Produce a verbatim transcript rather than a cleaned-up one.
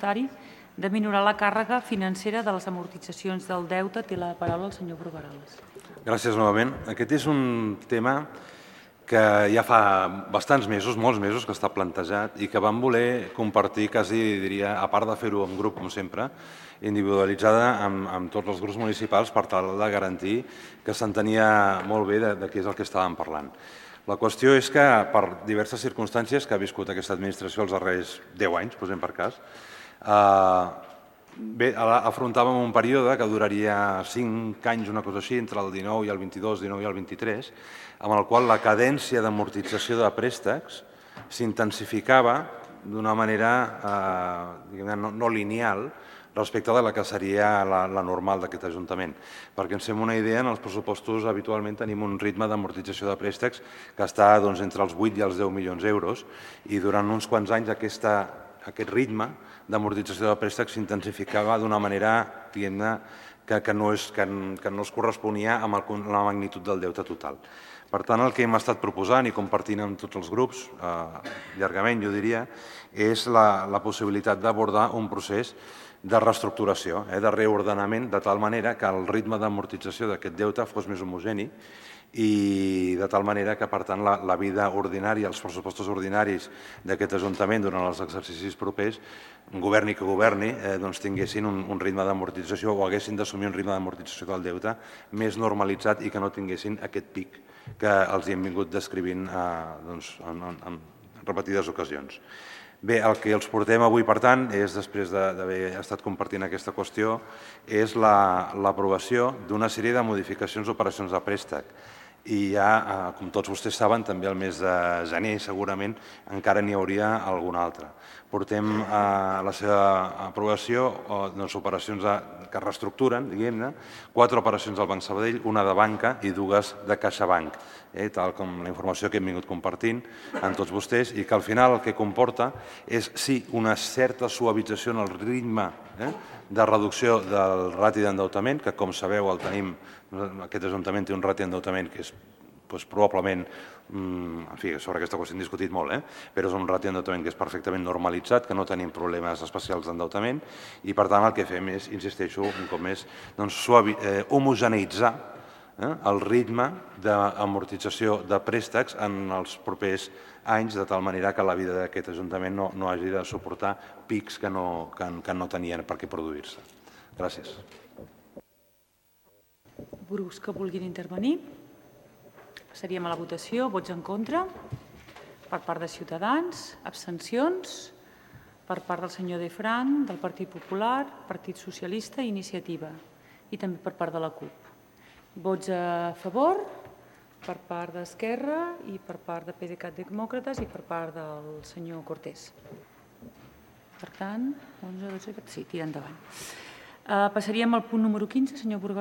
de minorar la càrrega financera de les amortitzacions del deute. Té la paraula el senyor Brugueras. Gràcies novament. Aquest és un tema que ja fa bastants mesos, molts mesos, que està plantejat i que vam voler compartir, quasi diria, a part de fer-ho en grup, com sempre, individualitzada amb, amb tots els grups municipals per tal de garantir que s'entenia molt bé de, de què és el que estàvem parlant. La qüestió és que, per diverses circumstàncies que ha viscut aquesta administració els darrers deu anys, posem per cas, eh, bé, afrontàvem un període que duraria cinc anys, una cosa així, entre el dinou i el vint-i-dos, dinou i el vint-i-tres, amb el qual la cadència d'amortització de préstecs s'intensificava d'una manera eh, no, no lineal respecte de la que seria la, la normal d'aquest Ajuntament. Perquè ens fem una idea, en els pressupostos habitualment tenim un ritme d'amortització de préstecs que està doncs, entre els vuit i els deu milions d'euros i durant uns quants anys aquesta, aquest ritme d'amortització de préstecs s'intensificava d'una manera que, que, no és, que, que no es corresponia amb el, la magnitud del deute total. Per tant, el que hem estat proposant i compartint amb tots els grups, eh, llargament jo diria, és la, la possibilitat d'abordar un procés de reestructuració, eh, de reordenament, de tal manera que el ritme d'amortització d'aquest deute fos més homogeni i de tal manera que, per tant, la, la vida ordinària, els pressupostos ordinaris d'aquest Ajuntament durant els exercicis propers, governi que governi, eh, doncs tinguessin un, un ritme d'amortització o haguessin d'assumir un ritme d'amortització del deute més normalitzat i que no tinguessin aquest pic que els hi hem vingut descrivint eh, doncs, en, en, en repetides ocasions. Bé, el que els portem avui, per tant, és, després d'haver estat compartint aquesta qüestió, és l'aprovació d'una sèrie de modificacions d'operacions de préstec. I ja, com tots vostès saben, també el mes de gener, segurament, encara n'hi hauria alguna altra. Portem a la seva aprovació doncs, operacions que reestructuren, diguem-ne, quatre operacions del Banc Sabadell, una de banca i dues de CaixaBank, eh, tal com la informació que hem vingut compartint amb tots vostès i que al final el que comporta és, sí, una certa suavització en el ritme eh, de reducció del rati d'endeutament, que com sabeu el tenim, aquest Ajuntament té un rati d'endeutament que és doncs, probablement, en fi, sobre aquesta qüestió hem discutit molt, eh? però és un rati d'endeutament que és perfectament normalitzat, que no tenim problemes especials d'endeutament i per tant el que fem és, insisteixo, un cop més, doncs, suavi, eh, homogeneïtzar eh, el ritme d'amortització de préstecs en els propers anys, de tal manera que la vida d'aquest Ajuntament no, no hagi de suportar pics que no, que, que no tenien per què produir-se. Gràcies. Grups que vulguin intervenir? Passaríem a la votació. Vots en contra? Per part de Ciutadans. Abstencions? Per part del senyor Defran, del Partit Popular, Partit Socialista i Iniciativa. I també per part de la CUP. Vots a favor? Per part d'Esquerra i per part de PDeCAT Demòcrates i per part del senyor Cortés. Per tant, onze, dotze, sí, tira endavant. Passaríem al punt número quinze, senyor Brugueras.